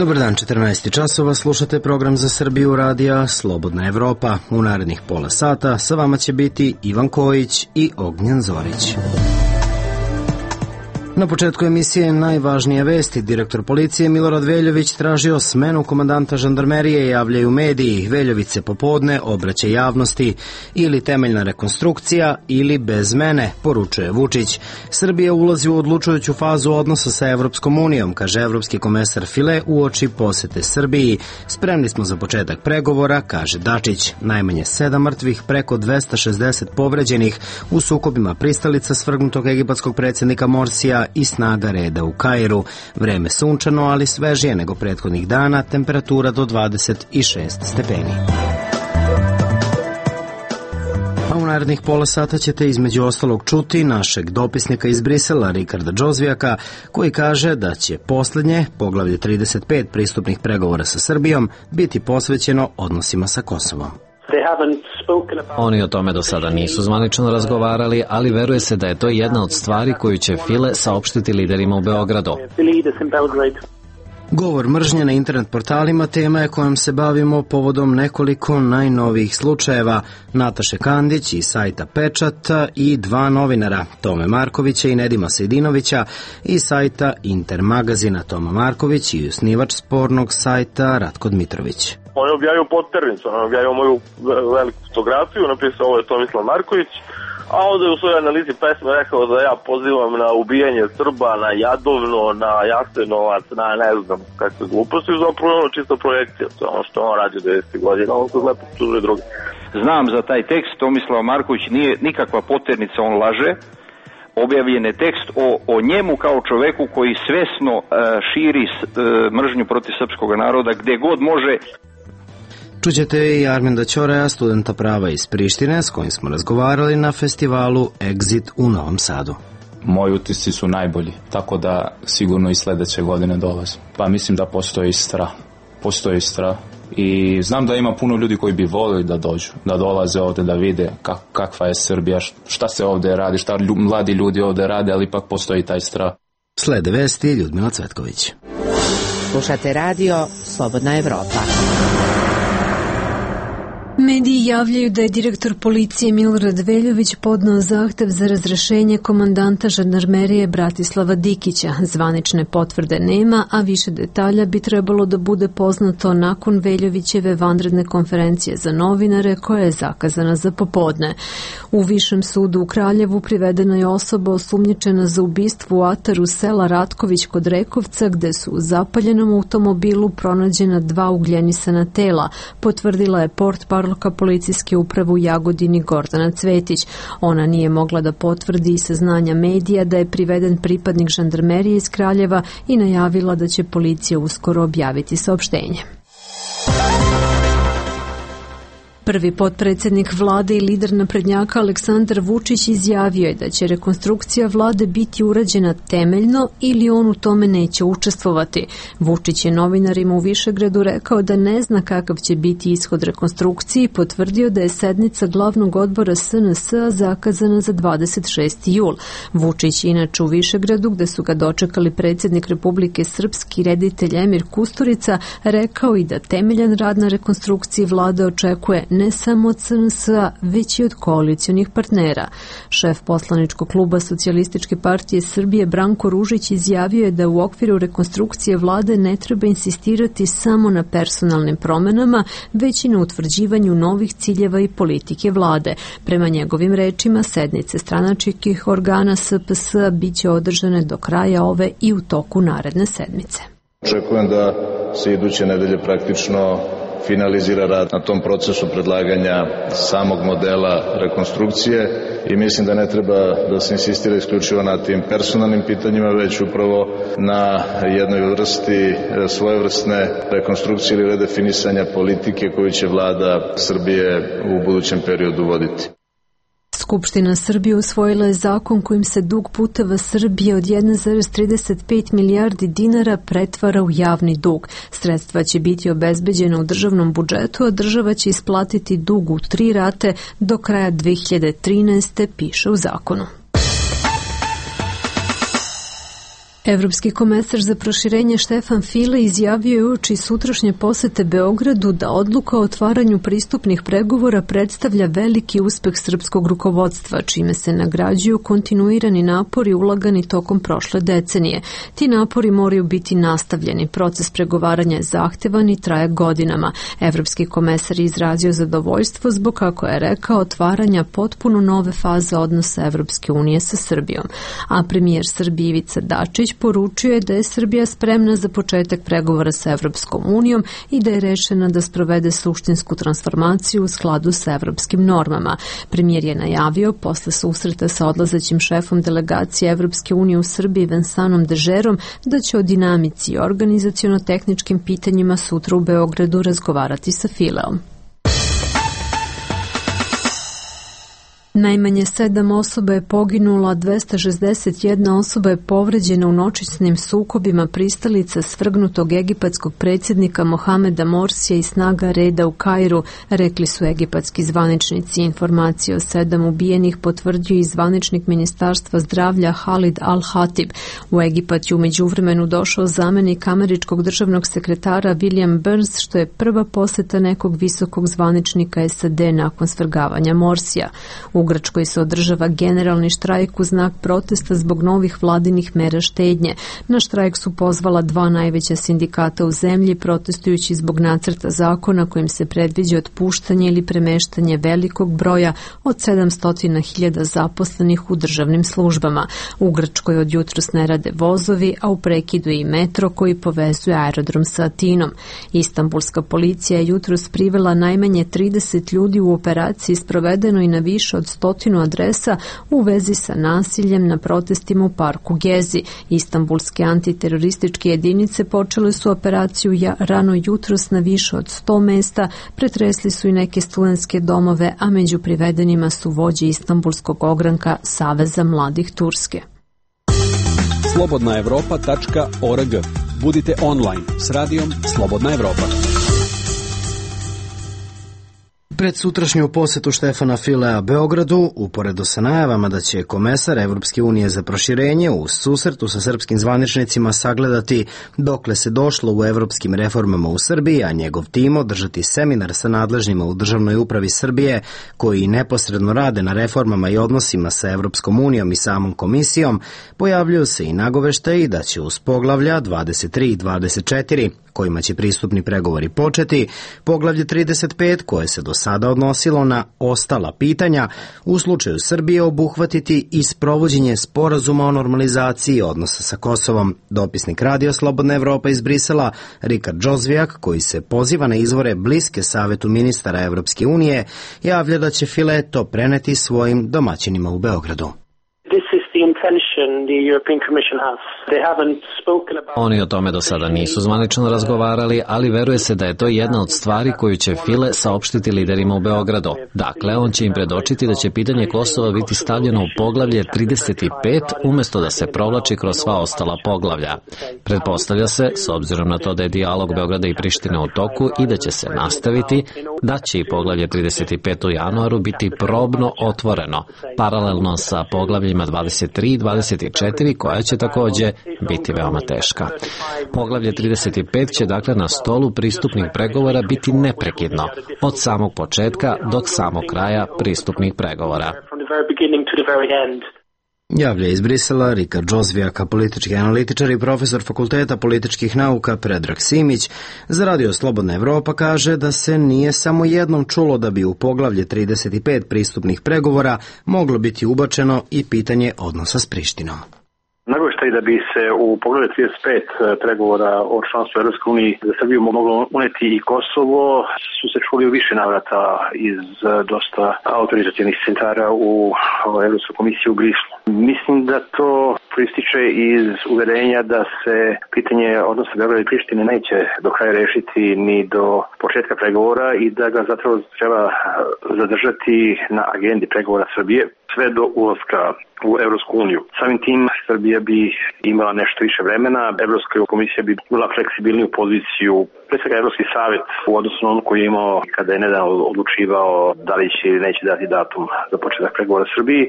Dobar dan, 14 časova, slušate program za Srbiju radija Slobodna Evropa. U narednih pola sata sa vama će biti Ivan Kojić i Ognjen Zorić. Na početku emisije najvažnije vesti. Direktor policije Milorad Veljović tražio smenu komandanta žandarmerije, javljaju mediji. Veljović se popodne obraća javnosti. Ili temeljna rekonstrukcija ili bez mene, poručuje Vučić. Srbija ulazi u odlučujuću fazu odnosa sa Evropskom unijom, kaže evropski komesar File uoči posete Srbiji. Spremni smo za početak pregovora, kaže Dačić. Najmanje 7 mrtvih, preko 260 povređenih u sukobima pristalica svrgnutog egipatskog predsjednika Morsija i snaga reda u Kairu. Vreme sunčano, ali svežije nego prethodnih dana, temperatura do 26 stepeni. A u narednih pola sata ćete između ostalog čuti našeg dopisnika iz Brisela, Rikarda Džozvijaka, koji kaže da će poslednje, poglavlje 35 pristupnih pregovora sa Srbijom, biti posvećeno odnosima sa Kosovom. Oni o tome do sada nisu zvanično razgovarali, ali veruje se da je to jedna od stvari koju će File saopštiti liderima u Beogradu. Govor mržnje na internet portalima tema je kojom se bavimo povodom nekoliko najnovijih slučajeva. Nataše Kandić iz sajta Pečata i 2 novinara, Tome Markovića i Nedima Sejdinovića iz sajta Intermagazina. Toma Marković i osnivač spornog sajta Ratko Dmitrović. On je objavio podternicu, on je objavio moju veliku fotografiju, napisao ovo je Tomislav Marković, a onda je u svojoj analizi pesme rekao da ja pozivam na ubijanje Srba, na Jadovno, na Jasenovac, na ne znam kakve gluposti, zapravo ono čista projekcija, to je ono što on radi 90 godina, on kod lepo tužuje drugi. Znam za taj tekst, Tomislav Marković nije nikakva podternica, on laže. Objavljen je tekst o njemu kao čoveku koji svesno širi mržnju protiv srpskog naroda gde god može. Čućete i Arminda Ćoreja, studenta prava iz Prištine, s kojim smo razgovarali na festivalu Exit u Novom Sadu. Moji utisci su najbolji, tako da sigurno i sledeće godine dolaze. Pa mislim da postoji strah i znam da ima puno ljudi koji bi volili da dođu, da dolaze ovde, da vide kakva je Srbija, šta se ovde radi, šta mladi ljudi ovde rade, ali ipak postoji taj strah. Slede vesti, Ljudmila Cvetković. Slušate radio Slobodna Evropa. Mediji javljaju da je direktor policije Milorad Veljović podneo zahtev za razrešenje komandanta žandarmerije Bratislava Dikića. Zvanične potvrde nema, a više detalja bi trebalo da bude poznato nakon Veljovićeve vanredne konferencije za novinare koja je zakazana za popodne. U Višem sudu u Kraljevu privedena je osoba osumnjičena za ubistvo u ataru sela Ratković kod Rekovca, gde su u zapaljenom automobilu pronađena 2 ugljenisana tela, potvrdila je portparolka policijske uprave u Jagodini Gordana Cvetić. Ona nije mogla da potvrdi saznanja medija da je priveden pripadnik žandarmerije iz Kraljeva i najavila da će policija uskoro objaviti saopštenje. Prvi potpredsjednik vlade i lider naprednjaka Aleksandar Vučić izjavio je da će rekonstrukcija vlade biti urađena temeljno ili on u tome neće učestvovati. Vučić je novinarima u Višegradu rekao da ne zna kakav će biti ishod rekonstrukcije i potvrdio da je sednica glavnog odbora SNS-a zakazana za 26. jul. Vučić je inače u Višegradu, gde su ga dočekali predsjednik Republike Srpski reditelj Emir Kusturica, rekao i da temeljan rad na rekonstrukciji vlade očekuje ne samo od SNS-a, već i od koalicionih partnera. Šef poslaničkog kluba Socijalističke partije Srbije Branko Ružić izjavio je da u okviru rekonstrukcije vlade ne treba insistirati samo na personalnim promenama, već i na utvrđivanju novih ciljeva i politike vlade. Prema njegovim rečima, sednice stranačkih organa SPS-a biće održane do kraja ove i u toku naredne sedmice. Očekujem da se iduće nedelje praktično finalizira rad na tom procesu predlaganja samog modela rekonstrukcije i mislim da ne treba da se insistira isključivo na tim personalnim pitanjima, već upravo na jednoj vrsti svojevrsne rekonstrukcije ili redefinisanja politike koju će vlada Srbije u budućem periodu voditi. Skupština Srbije usvojila je zakon kojim se dug puteva Srbije od 1,35 milijardi dinara pretvara u javni dug. Sredstva će biti obezbeđena u državnom budžetu, a država će isplatiti dug u 3 rate do kraja 2013. piše u zakonu. Evropski komesar za proširenje Štefan File izjavio je uoči sutrašnje posete Beogradu da odluka o otvaranju pristupnih pregovora predstavlja veliki uspeh srpskog rukovodstva, čime se nagrađuju kontinuirani napori ulagani tokom prošle decenije. Ti napori moraju biti nastavljeni. Proces pregovaranja je zahtevan i traje godinama. Evropski komesar je izrazio zadovoljstvo zbog, kako je rekao, otvaranja potpuno nove faze odnosa Evropske unije sa Srbijom. A premijer Srbije Ivica Dačić poručio je da je Srbija spremna za početak pregovora sa Evropskom unijom i da je rešena da sprovede suštinsku transformaciju u skladu sa evropskim normama. Premijer je najavio posle susreta sa odlazećim šefom delegacije Evropske unije u Srbiji Vensanom Dežerom da će o dinamici i organizaciono-tehničkim pitanjima sutra u Beogradu razgovarati sa Fileom. Najmanje 7 osoba je poginula, 261 osoba je povređena u noćnim sukobima pristalica svrgnutog egipatskog predsjednika Mohameda Morsija i snaga reda u Kairu, rekli su egipatski zvaničnici. Informacije o 7 ubijenih potvrdio i zvaničnik Ministarstva zdravlja Halid Al-Hatib. U Egipat je u međuvremenu došao zamenik američkog državnog sekretara William Burns, što je prva poseta nekog visokog zvaničnika SAD nakon svrgavanja Morsija. U Grčkoj se održava generalni štrajk u znak protesta zbog novih vladinih mera štednje. Na štrajk su pozvala 2 najveća sindikata u zemlji, protestujući zbog nacrta zakona kojim se predviđa otpuštanje ili premeštanje velikog broja od 700.000 zaposlenih u državnim službama. U Grčkoj od jutros ne rade vozovi, a u prekidu je i metro koji povezuje aerodrom sa Atinom. Istanbulska policija je jutros privela najmanje 30 ljudi u operaciji sprovedenoj na više od 100 adresa u vezi sa nasiljem na protestima u parku Gezi. Istanbulske antiterorističke jedinice počele su operaciju rano jutros na više od 100 mesta, pretresli su i neke studentske domove, a među privedenima su vođe Istanbulskog ogranka Saveza mladih Turske. slobodnaevropa.org. Budite online s radijom Slobodna Evropa. Pred sutrašnju posetu Štefana Filea Beogradu, uporedo sa najavama da će komesar Evropske unije za proširenje u susretu sa srpskim zvaničnicima sagledati dokle se došlo u evropskim reformama u Srbiji, a njegov tim održati seminar sa nadležnjima u državnoj upravi Srbije koji neposredno rade na reformama i odnosima sa Evropskom unijom i samom komisijom, pojavljuju se i nagoveštaji da će uz poglavlja 23 i 24, kojima će pristupni pregovori početi, poglavlje 35, koje se do sada odnosilo na ostala pitanja, u slučaju Srbije obuhvatiti i sprovođenje sporazuma o normalizaciji odnosa sa Kosovom. Dopisnik Radio Slobodna Evropa iz Brisela, Rikard Džozvijak, koji se poziva na izvore bliske Savetu ministara Evropske unije, javlja da će File to preneti svojim domaćinima u Beogradu. Oni o tome do sada nisu zvanično razgovarali, ali veruje se da je to jedna od stvari koju će File saopštiti liderima u Beogradu. Dakle, on će im predočiti da će pitanje Kosova biti stavljeno u poglavlje 35 umjesto da se provlači kroz sva ostala poglavlja. Pretpostavlja se, s obzirom na to da je dijalog Beograda i Prištine u toku i da će se nastaviti, da će i poglavlje 35 u januaru biti probno otvoreno, paralelno sa poglavljima 23 i 24, koja će takođe biti veoma teška. Poglavlje 35 će dakle na stolu pristupnih pregovora biti neprekidno, od samog početka do samog kraja pristupnih pregovora. Javlja iz Brisela Rikard Džozvijaka, politički analitičar i profesor Fakulteta političkih nauka Predrag Simić. Za Radio Slobodna Evropa kaže da se nije samo jednom čulo da bi u poglavlje 35 pristupnih pregovora moglo biti ubačeno i pitanje odnosa s Prištinom. Nagoveštaj da bi se u poglavlju 35 pregovora o članstvu Evropske unije za Srbiju moglo uneti i Kosovo su se čuli u više navrata iz dosta autorizacionih centara u Evropskoj komisiji u Brislu. Mislim da to proističe iz uverenja da se pitanje odnosa Beograda i Prištine neće do kraja rešiti ni do početka pregovora i da ga zapravo treba zadržati na agendi pregovora Srbije. sve do ulaska u Evropsku uniju. Samim tim Srbija bi imala nešto više vremena, Evropska komisija bi bila fleksibilniju poziciju, pre svega Evropski savjet u odnosu na ono koji je imao kada je nedavno odlučivao da li će ili neće dati datum za početak pregovora Srbiji,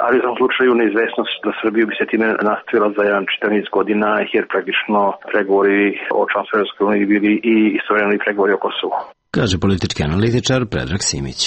ali u tom slučaju neizvesnost da Srbiju bi se time nastavila za jedan čitav niz godina, jer praktično pregovori o članstvu Evropskoj uniji bili i istovremeno i pregovori o Kosovu. Kaže politički analitičar Predrag Simić.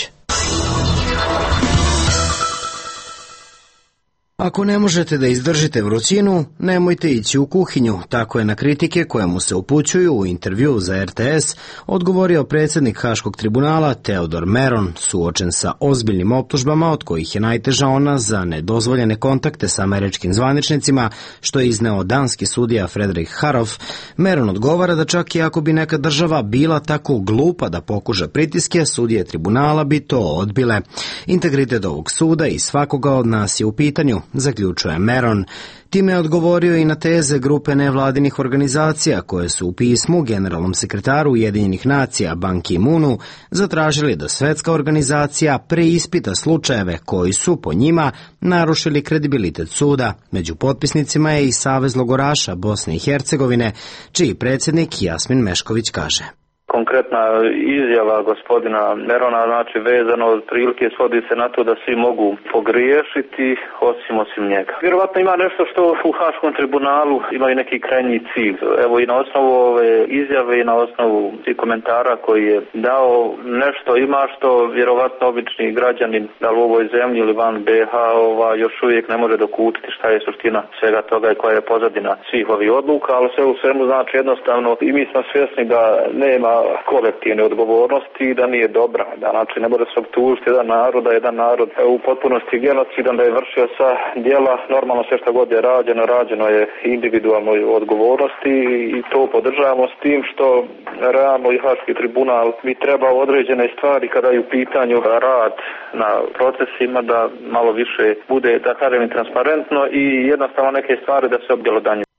Ako ne možete da izdržite vrućinu, nemojte ići u kuhinju. Tako je na kritike koje mu se upućuju u intervju za RTS odgovorio predsjednik Haškog tribunala Teodor Meron, suočen sa ozbiljnim optužbama od kojih je najteža ona za nedozvoljene kontakte sa američkim zvaničnicima, što je izneo danski sudija Frederik Harov. Meron odgovara da čak i ako bi neka država bila tako glupa da pokuša pritiske, sudije tribunala bi to odbile. Integritet ovog suda i svakoga od nas je u pitanju, zaključuje Meron. Time je odgovorio i na teze grupe nevladinih organizacija koje su u pismu generalnom sekretaru Ujedinjenih nacija Ban Ki-moonu zatražili da svetska organizacija preispita slučajeve koji su, po njima, narušili kredibilitet suda. Među potpisnicima je i Savez logoraša Bosne i Hercegovine, čiji predsjednik Jasmin Mešković kaže. Konkretna izjava gospodina Merona, znači vezano od prilike svodi se na to da svi mogu pogriješiti osim njega. Vjerovatno ima nešto što u Haškom tribunalu imaju neki krajnji cilj. Evo i na osnovu ove izjave i na osnovu i komentara koji je dao nešto ima što vjerovatno obični građanin da li u ovoj zemlji ili van BH još uvijek ne može dokutiti šta je suština svega toga i koja je pozadina svih ovih odluka, ali sve u svemu znači jednostavno i mi smo svjesni da nema kolektivne odgovornosti i da nije dobra. Da, znači ne može se optužiti jedan narod u potpunosti genocidan da je vršio sa djela. Normalno sve što god je rađeno je individualnoj odgovornosti i to podržavamo s tim što realno i Haški tribunal bi trebao određene stvari kada je u pitanju rad na procesima da malo više bude, da kažem, transparentno i jednostavno neke stvari da se objelodanjuju.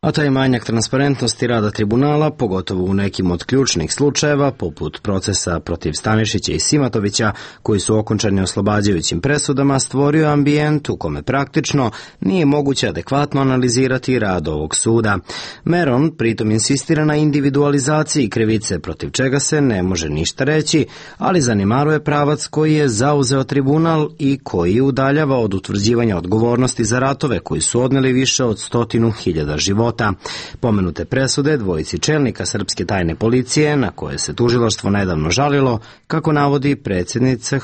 A taj manjak transparentnosti rada tribunala, pogotovo u nekim od ključnih slučajeva, poput procesa protiv Stanišića i Simatovića, koji su okončani oslobađajućim presudama, stvorio ambijent u kome praktično nije moguće adekvatno analizirati rad ovog suda. Meron pritom insistira na individualizaciji krivice, protiv čega se ne može ništa reći, ali zanemaruje pravac koji je zauzeo tribunal i koji udaljava od utvrđivanja odgovornosti za ratove koji su odneli više od 100.000 života. Pomenute presude dvojici čelnika srpske tajne policije, na koje se tužilaštvo nedavno žalilo, kako navodi predsjednica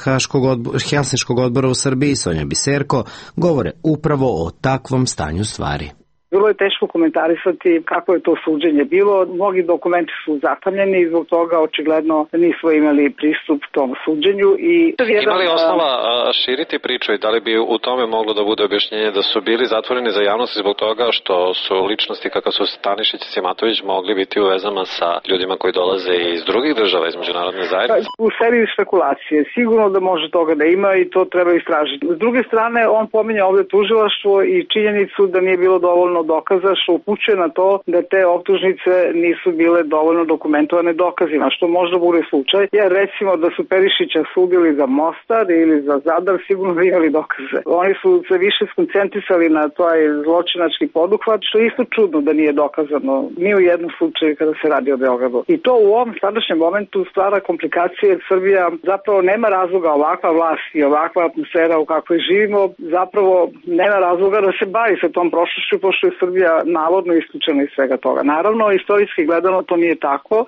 Helsinškog odbora u Srbiji Sonja Biserko, govore upravo o takvom stanju stvari. Bilo je teško komentarisati kako je to suđenje bilo. Mnogi dokumenti su zatamljeni i zbog toga očigledno nismo imali pristup tom suđenju. Ima li osnova širiti priču i da li bi u tome moglo da bude objašnjenje da su bili zatvoreni za javnost zbog toga što su ličnosti kakav su Stanišić i Simatović mogli biti u vezama sa ljudima koji dolaze iz drugih država, iz međunarodne zajednice? U seriji spekulacije. Sigurno da može toga da ima i to treba istražiti. S druge strane, on pominje ovdje tužilaštvo i činjenicu da nije bilo dovoljno dokaza, što upućuje na to da te optužnice nisu bile dovoljno dokumentovane dokazima, što možda bude slučaj. Jer recimo da su Perišića sudili za Mostar ili za Zadar, sigurno da imali dokaze. Oni su se više skoncentrisali na taj zločinački poduhvat, što je isto čudno da nije dokazano ni u jednom slučaju kada se radi o Beogradu. I to u ovom sadašnjem momentu stvara komplikacije, jer Srbija zapravo nema razloga, ovakva vlast i ovakva atmosfera u kakvoj živimo, zapravo nema razloga da se bavi sa tom prošlošću, pošto je Srbija navodno isključena iz svega toga. Naravno, istorijski gledano to nije tako.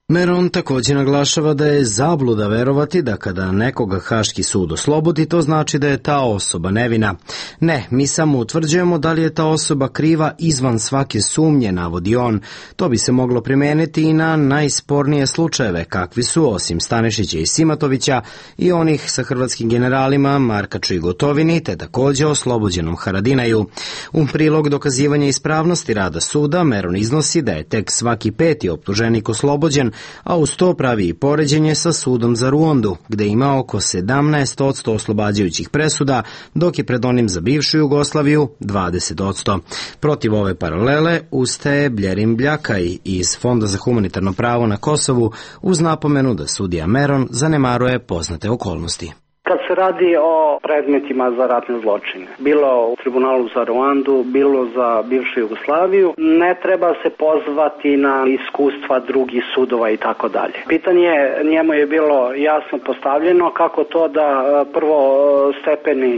Meron također naglašava da je zabluda verovati da kada nekoga Haški sud oslobodi, to znači da je ta osoba nevina. Ne, mi samo utvrđujemo da li je ta osoba kriva izvan svake sumnje, navodi on. To bi se moglo primijeniti i na najspornije slučajeve, kakvi su, osim Stanišića i Simatovića, i onih sa hrvatskim generalima Markaču i Gotovini, te također oslobođenom Haradinaju. U prilog dokazivanja ispravnosti rada suda, Meron iznosi da je tek svaki 5. optuženik oslobođen, a uz to pravi i poređenje sa sudom za Ruandu, gde ima oko 17% oslobađajućih presuda, dok je pred onim za bivšu Jugoslaviju 20%. Protiv ove paralele ustaje Bljerim Bljakaj iz Fonda za humanitarno pravo na Kosovu uz napomenu da sudija Meron zanemaruje poznate okolnosti. Kad se radi o predmetima za ratne zločine, bilo u tribunalu za Ruandu, bilo za bivšu Jugoslaviju, ne treba se pozvati na iskustva drugih sudova i tako dalje. Pitanje njemu je bilo jasno postavljeno kako to da prvostepeni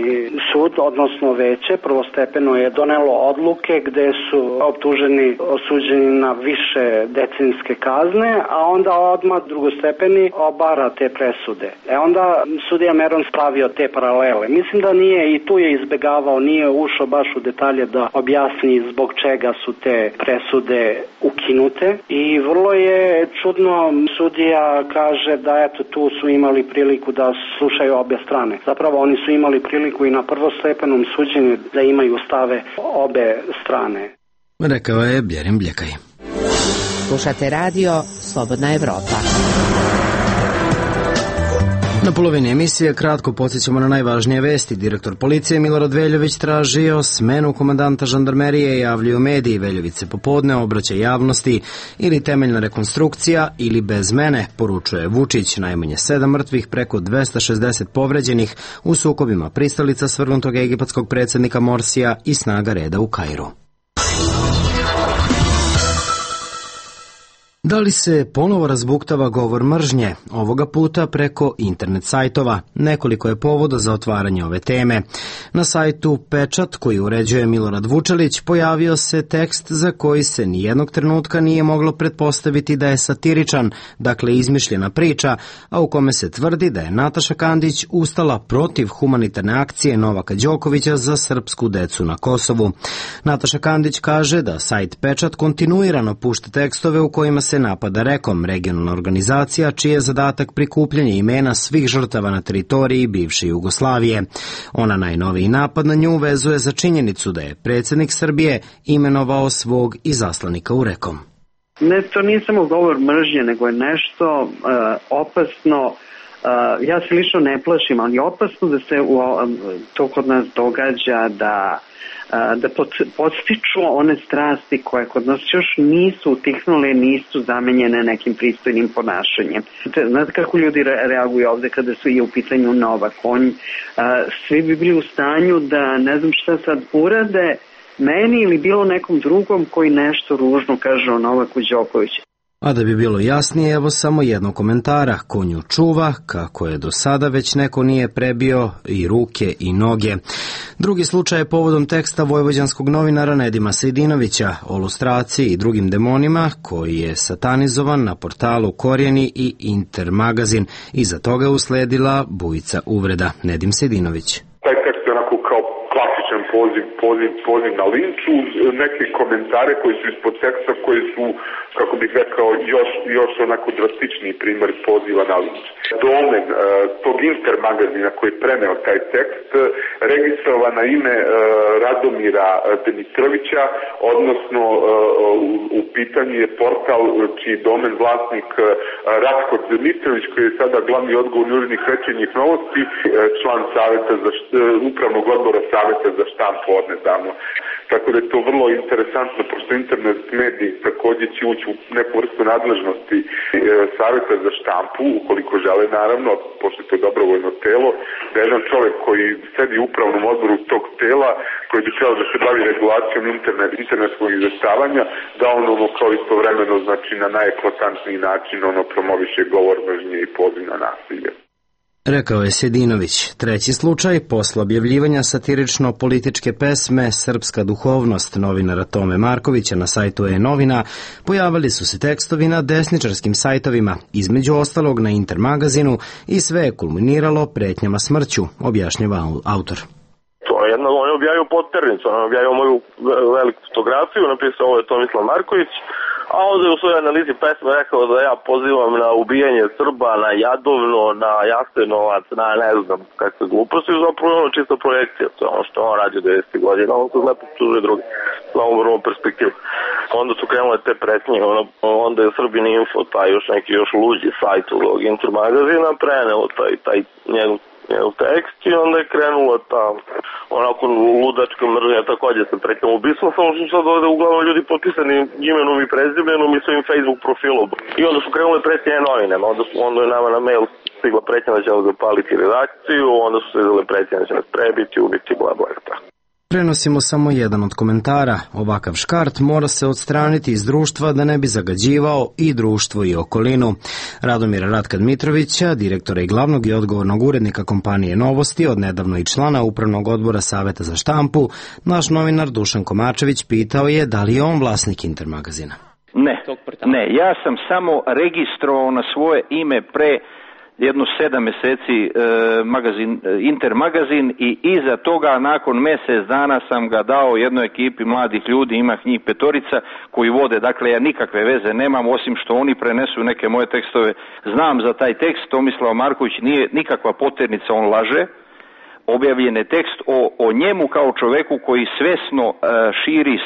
sud, odnosno veće, prvostepeno je donelo odluke gde su optuženi, osuđeni na više decenijske kazne, a onda odmah drugostepeni obara te presude. Onda sudija Meron stavio te paralele. Mislim da nije, i tu je izbegavao, nije ušao baš u detalje da objasni zbog čega su te presude ukinute i vrlo je čudno, sudija kaže da eto tu su imali priliku da slušaju obje strane. Zapravo oni su imali priliku i na prvostepenom suđenju da imaju stave obe strane. Rekao je Bjerin Bljekaj. Slušate radio Slobodna Evropa. Na polovini emisije kratko podsjećamo na najvažnije vesti. Direktor policije Milorad Veljović tražio smenu komandanta žandarmerije, javljaju mediji. Veljović se popodne obraća javnosti, ili temeljna rekonstrukcija ili bez mene, poručuje Vučić. Najmanje 7 mrtvih, preko 260 povređenih u sukobima pristalica svrgnutog egipatskog predsjednika Morsija i snaga reda u Kairu. Da li se ponovo razbuktava govor mržnje, ovoga puta preko internet sajtova? Nekoliko je povoda za otvaranje ove teme. Na sajtu Pečat, koji uređuje Milorad Vučelić, pojavio se tekst za koji se nijednog trenutka nije moglo pretpostaviti da je satiričan, dakle izmišljena priča, a u kome se tvrdi da je Nataša Kandić ustala protiv humanitarne akcije Novaka Đokovića za srpsku decu na Kosovu. Nataša Kandić kaže da sajt Pečat kontinuirano pušta tekstove u kojima se napada Rekom, regionalna organizacija čiji je zadatak prikupljanje imena svih žrtava na teritoriji bivše Jugoslavije. Ona najnoviji napad na nju vezuje za činjenicu da je predsjednik Srbije imenovao svog izaslanika u Rekom. Ne, to nije samo govor mržnje, nego je nešto opasno. Ja se lično ne plašim, ali je opasno da se to kod nas događa, da podstiču one strasti koje kod nas još nisu utihnule, nisu zamenjene nekim pristojnim ponašanjem. Znate kako ljudi reaguju ovde kada su i u pitanju Novak? Svi bi bili u stanju da ne znam šta sad urade meni ili bilo nekom drugom koji nešto ružno kaže o Novaku Đokoviću. A da bi bilo jasnije, evo samo jednog komentara. Ko nju čuva, kako je do sada već neko nije prebio i ruke i noge. Drugi slučaj je povodom teksta vojvođanskog novinara Nedima Sejdinovića o lustraciji i drugim demonima, koji je satanizovan na portalu Korijeni i Intermagazin. Iza toga je usledila bujica uvreda. Nedim Sejdinović. Taj tekst je onako kao klasičan poziv na linču, neke komentare koji su ispod teksta, koji su, kako bih rekao, još onako drastičniji primjer poziva na linč. Domen tog Intermagazina koji je preneo taj tekst registrovan na ime Radomira Dimitrovića, odnosno u pitanju je portal čiji domen vlasnik Ratko Dimitrović, koji je sada glavni odgovorni urednik Večernjih novosti, član upravnog odbora Saveta za štampu odnedavno. Tako da je to vrlo interesantno, pošto internet mediji također će ući u neku vrstu nadležnosti Saveta za štampu, ukoliko žele naravno, pošto je to dobrovoljno telo, da jedan čovjek koji sedi u upravnom odboru tog tela, koji bi trebao da se bavi regulacijom internetskog izveštavanja, da on kao istovremeno, znači na najeklatantniji način promoviše govor mržnje i poziv na nasilje. Rekao je Sedinović. Treći slučaj, posle objavljivanja satirično-političke pesme Srpska duhovnost novinara Tome Markovića na sajtu E-novina, pojavili su se tekstovi na desničarskim sajtovima, između ostalog na Intermagazinu, i sve je kulminiralo pretnjama smrću, objašnjava autor. On je objavio podternicu, on je objavio moju veliku fotografiju, napisao ovo je Tomislav Marković, a onda je u svojoj analizi pesme rekao da ja pozivam na ubijanje Srba, na Jadovno, na Jasenovac, na ne znam kakve gluposti, zapravo ono čista projekcija, to je ono što on radio 90. godina, on se lepo tužuje drugi, na ovom vrlo perspektivu. Onda su krenule te pretnje, onda je Srbin Info, taj još neki luđi sajt ovog Intermagazina, preneo taj njegov njegov tekst i onda je krenula ta onako ludačka mržnja takođe sa pretnjom ubistvom, samo što sad ovde uglavnom ljudi potpisani imenom i prezimenom i svojim Facebook profilom. I onda su krenule pretnje novinama, onda je nama na mail stigla pretnja da će zapaliti redakciju, onda su stigle pretnje da će nas prebiti, ubiti, bla bla bla. Prenosimo samo jedan od komentara. Ovakav škart mora se odstraniti iz društva da ne bi zagađivao i društvo i okolinu. Radomira Ratka Dmitrovića, direktora i glavnog i odgovornog urednika kompanije Novosti, odnedavno i člana Upravnog odbora Saveta za štampu, naš novinar Dušan Komačević pitao je da li je on vlasnik Intermagazina. Ne, ja sam samo registrovao na svoje ime pre jedno 7 meseci Intermagazin i iza toga nakon mesec dana sam ga dao jednoj ekipi mladih ljudi, ima njih 5 koji vode, dakle ja nikakve veze nemam osim što oni prenesu neke moje tekstove, znam za taj tekst, Tomislav Marković nije nikakva poternica, on laže, objavljen je tekst o njemu kao čoveku koji svesno širi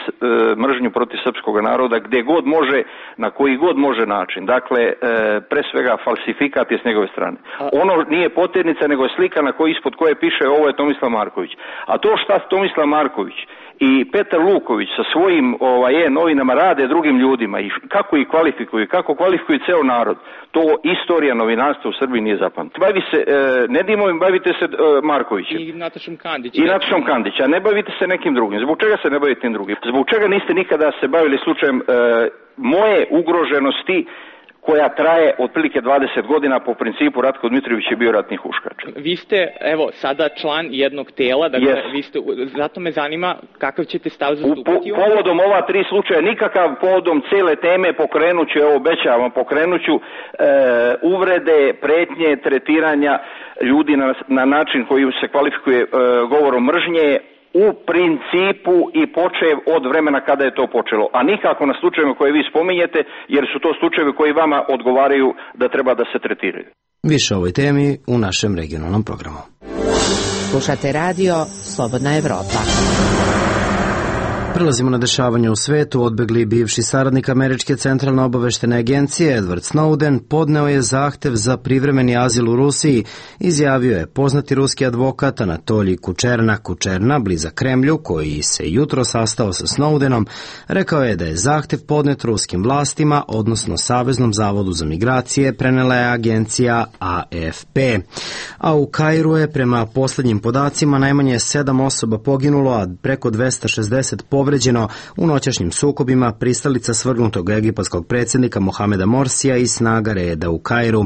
mržnju protiv srpskog naroda gde god može, na koji god može način. Dakle, pre svega falsifikat je s njegove strane. Ono nije poternica, nego je slika na kojoj ispod koje piše ovo je Tomislav Marković. A to šta Tomislav Marković i Petar Luković sa svojim novinama rade drugim ljudima i kako ih kvalifikuju, kako kvalifikuju ceo narod, to istorija novinarstva u Srbiji nije zapamtila. Bavi se, ne Dimovim, bavite se Markovićem. I Natašom Kandić. A ne bavite se nekim drugim. Zbog čega se ne bavite tim drugim? Zbog čega niste nikada se bavili slučajem moje ugroženosti koja traje otprilike 20 godina po principu Ratko Dmitrović je bio ratni huškač. Vi ste, evo, sada član jednog tela, dakle, vi ste, zato me zanima kakav ćete stav zastupati. Povodom ova 3 slučaja, nikakav povodom cele teme pokrenuću, evo obećavam, pokrenuću uvrede, pretnje, tretiranja ljudi na način koji se kvalifikuje govorom mržnje, u principu i počev od vremena kada je to počelo, a nikako na slučajevima koje vi spominjete, jer su to slučajevi koji vama odgovaraju da treba da se tretiraju. Više o ovoj temi u našem regionalnom programu. Slušate radio Slobodna Evropa. Prelazimo na dešavanje u svetu. Odbegli bivši saradnik Američke centralne obaveštene agencije Edward Snowden podneo je zahtev za privremeni azil u Rusiji, izjavio je poznati ruski advokat Anatolij Kučerna, blizak Kremlju, koji se jutro sastao sa Snowdenom. Rekao je da je zahtev podnet ruskim vlastima, odnosno Saveznom zavodu za migracije, prenela je agencija AFP. A u Kairu je prema poslednjim podacima najmanje 7 osoba poginulo, a preko 260 povređeno u noćašnjim sukobima pristalica svrgnutog egipatskog predsjednika Mohameda Morsija i snaga reda u Kairu.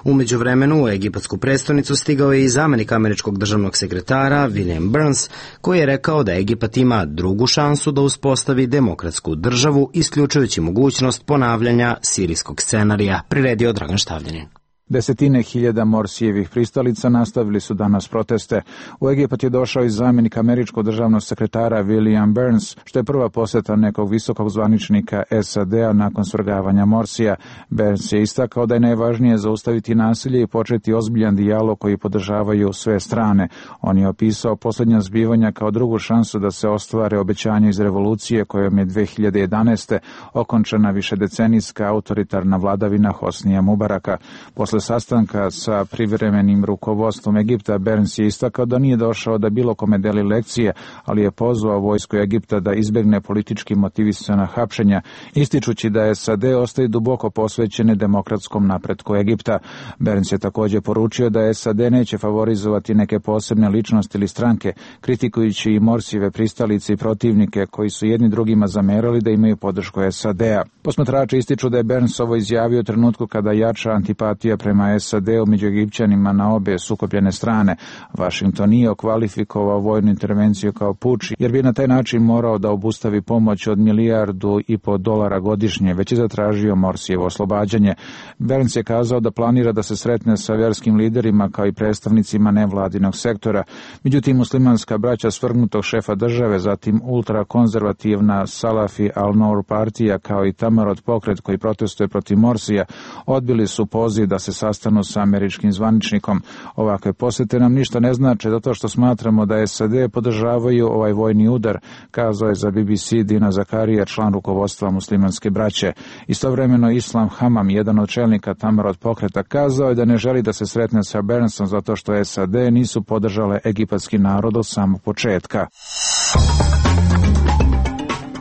U međuvremenu u egipatsku prestonicu stigao je i zamenik američkog državnog sekretara William Burns, koji je rekao da Egipat ima drugu šansu da uspostavi demokratsku državu, isključujući mogućnost ponavljanja sirijskog scenarija, priredio Dragan Štavljanin. Desetine hiljada Morsijevih pristalica nastavili su danas proteste. U Egipat je došao i zamjenik američkog državnog sekretara William Burns, što je prva poseta nekog visokog zvaničnika SAD-a nakon svrgavanja Morsija. Burns je istakao da je najvažnije zaustaviti nasilje i početi ozbiljan dijalog koji podržavaju sve strane. On je opisao posljednja zbivanja kao drugu šansu da se ostvare obećanja iz revolucije kojom je 2011. okončana višedecenijska autoritarna vladavina Hosnija Mubaraka. Posle sastanka sa privremenim rukovodstvom Egipta, Burns je istakao da nije došao da bilo kome deli lekcije, ali je pozvao vojsku Egipta da izbegne politički motivisana hapšenja, ističući da SAD ostaje duboko posvećene demokratskom napretku Egipta. Burns je također poručio da SAD neće favorizovati neke posebne ličnosti ili stranke, kritikujući i Morsijeve pristalice i protivnike koji su jedni drugima zamerali da imaju podršku SAD-a. Posmatrači ističu da je Burns ovo izjavio u trenutku kada jača antipatija prema SAD-u među Egipćanima na obe sukobljene strane. Washington nije okvalifikovao vojnu intervenciju kao puč, jer bi na taj način morao da obustavi pomoć od $1,5 milijardi godišnje, već je zatražio Morsijevo oslobađanje. Burns je kazao da planira da se sretne sa vjerskim liderima kao i predstavnicima nevladinog sektora. Međutim, muslimanska braća svrgnutog šefa države, zatim ultrakonzervativna Salafi al-Nour partija kao i Tamarot pokret koji protestuje protiv Morsija, odbili su poziv da se sastanu sa američkim zvaničnikom. Ovakve posete nam ništa ne znače zato što smatramo da SAD podržavaju ovaj vojni udar, kazao je za BBC Dina Zakarija, član rukovodstva muslimanske braće. Istovremeno Islam Hamam, jedan od čelnika Tamarot pokreta, kazao je da ne želi da se sretne sa Burnsom zato što SAD nisu podržale egipatski narod od samog početka.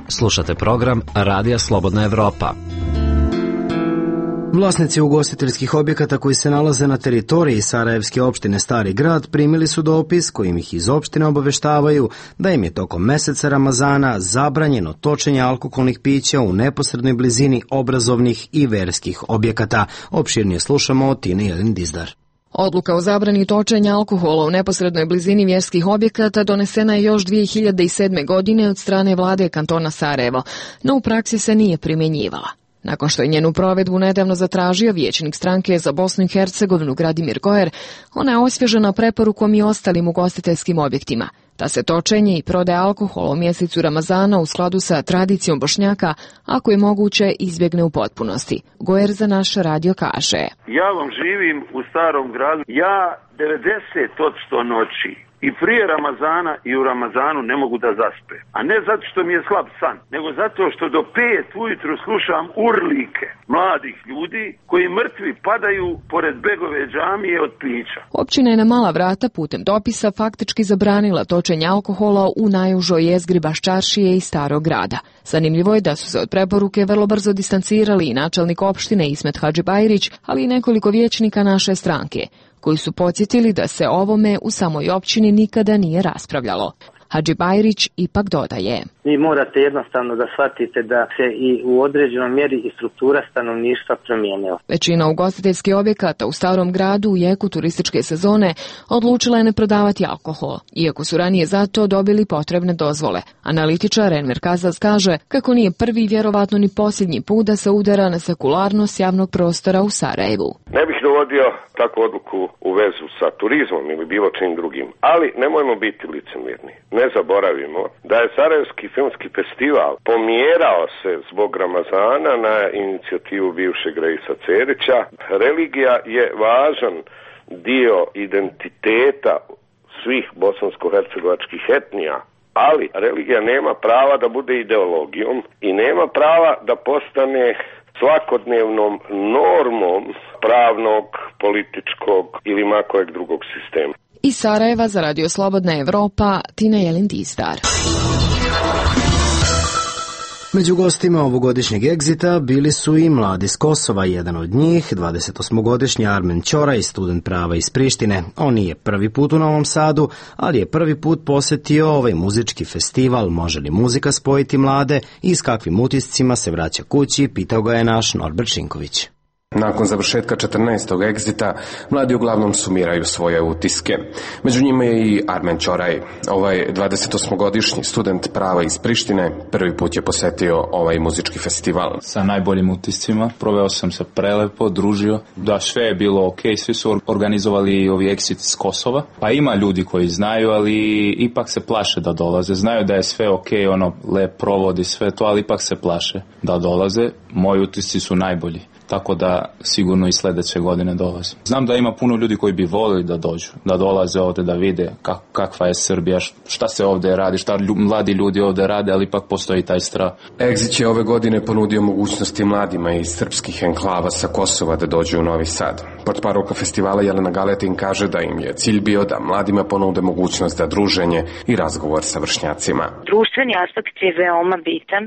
Slušate program Radija Slobodna Evropa. Vlasnici ugostiteljskih objekata koji se nalaze na teritoriji Sarajevske opštine Stari grad primili su dopis kojim ih iz opštine obaveštavaju da im je tokom meseca Ramazana zabranjeno točenje alkoholnih pića u neposrednoj blizini obrazovnih i verskih objekata. Opširnije slušamo od Tine Jelin Dizdar. Odluka o zabrani točenja alkohola u neposrednoj blizini vjerskih objekata donesena je još 2007. godine od strane vlade kantona Sarajevo, no u praksi se nije primjenjivala. Nakon što je njenu provedbu nedavno zatražio vijećnik stranke za Bosnu i Hercegovinu Gradimir Gojer, ona je osvježena preporukom i ostalim ugostiteljskim objektima, da se točenje i prodaja alkohola u mjesecu Ramazana u skladu sa tradicijom Bošnjaka, ako je moguće, izbjegne u potpunosti. Gojer za naš radio kaže: Ja vam živim u Starom gradu. Ja 90% noći i prije Ramazana i u Ramazanu ne mogu da zaspe. A ne zato što mi je slab san, nego zato što do 5 ujutru slušam urlike mladih ljudi koji mrtvi padaju pored Begove džamije od pića. Općina je na mala vrata putem dopisa faktički zabranila točenje alkohola u najužoj jezgri Baščaršije i Starog grada. Zanimljivo je da su se od preporuke vrlo brzo distancirali i načelnik opštine Ismet Hadžibajrić, ali i nekoliko vijećnika naše stranke, koji su podsjetili da se ovome u samoj općini nikada nije raspravljalo. Hadžibajrić ipak dodaje: Vi morate jednostavno da shvatite da se i u određenoj mjeri i struktura stanovništva promijenila. Većina ugostiteljskih objekata u Starom gradu u jeku turističke sezone odlučila je ne prodavati alkohol, iako su ranije za to dobili potrebne dozvole. Analitičar Enver Kazaz kaže kako nije prvi, vjerovatno ni posljednji put da se udara na sekularnost javnog prostora u Sarajevu. Ne bih dovodio takvu odluku u vezu sa turizmom ili bilo čim drugim, ali nemojmo biti licemjerni. Ne zaboravimo da je Sarajevski filmski festival pomjerao se zbog Ramazana na inicijativu bivšeg Reisa Cerića. Religija je važan dio identiteta svih bosansko-hercegovačkih etnija, ali religija nema prava da bude ideologijom i nema prava da postane svakodnevnom normom pravnog, političkog ili makojeg drugog sistema. Iz Sarajeva za Radio Slobodna Evropa, Tina Jelin Dizdar. Među gostima ovogodišnjeg egzita bili su i mladi s Kosova, jedan od njih, 28-godišnji Armen Ćoraj, student prava iz Prištine. On nije prvi put u Novom Sadu, ali je prvi put posjetio ovaj muzički festival. Može li muzika spojiti mlade i s kakvim utiscima se vraća kući, pitao ga je naš Norbert Šinković. Nakon završetka 14. egzita, mladi uglavnom sumiraju svoje utiske. Među njima je i Armen Ćoraj. Ovaj 28-godišnji student prava iz Prištine prvi put je posetio ovaj muzički festival. Sa najboljim utiscima, proveo sam se prelepo, družio, da sve je bilo ok, svi su organizovali ovi egzit iz Kosova. Pa ima ljudi koji znaju, ali ipak se plaše da dolaze. Znaju da je sve ok, lep provodi sve to, ali ipak se plaše da dolaze. Moji utisci su najbolji. Tako da sigurno i sljedeće godine dolaze. Znam da ima puno ljudi koji bi volili da dođu, da dolaze ovdje, da vide kakva je Srbija, šta se ovdje radi, šta mladi ljudi ovdje rade, ali ipak postoji taj strah. Exit je ove godine ponudio mogućnosti mladima iz srpskih enklava sa Kosova da dođu u Novi Sad. Portparolka festivala Jelena Galetin kaže da im je cilj bio da mladima ponude mogućnost za druženje i razgovor sa vršnjacima. Društveni aspekt je veoma bitan,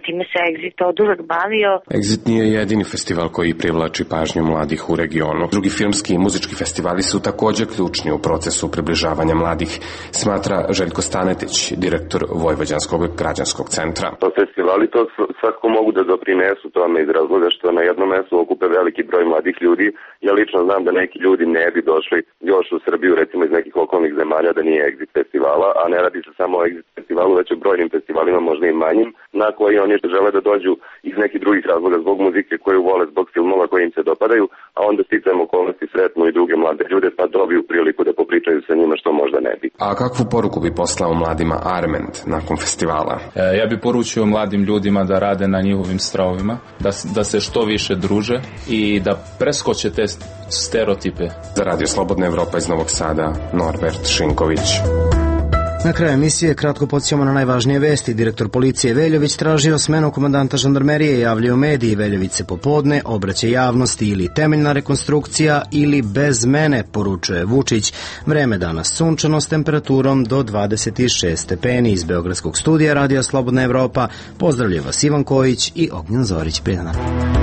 time se Exit oduvek bavio. Exit nije jedini festival koji privlači pažnju mladih u regionu. Drugi filmski i muzički festivali su također ključni u procesu približavanja mladih, smatra Željko Stanetić, direktor Vojvođanskog građanskog centra. Festivali to svakako mogu da doprinesu tome iz razloga što na jednom mjestu okupe veliki broj mladih ljudi. Ja lično znam da neki ljudi ne bi došli još u Srbiju, recimo iz nekih okolnih zemalja, da nije Exit festivala, a ne radi se samo o Exit festivalu, već o brojnim festivalima, možda i manjim, na koji oni žele da dođu iz nekih drugih razloga zbog muzike koju vole vole zbog filmova koji im se dopadaju, a onda sticajem okolnosti sretnu i druge mlade ljude pa dobiju priliku da popričaju sa njima što možda ne bi. A kakvu poruku bi poslao mladima Arment nakon festivala? Ja bi poručio mladim ljudima da rade na njihovim stravovima, da se što više druže i da preskoče te stereotipe. Za Radio Slobodna Evropa iz Novog Sada, Norbert Šinković. Na kraju emisije kratko podsjećamo na najvažnije vesti. Direktor policije Veljović tražio smenu komandanta žandarmerije, javljaju mediji. Veljović se popodne obraća javnosti, ili temeljna rekonstrukcija ili bez mene, poručuje Vučić. Vreme danas sunčano s temperaturom do 26 stepeni. Iz Beogradskog studija Radija Slobodna Evropa pozdravlja vas Ivan Kojić i Ognjen Zorić. Prijedan dan.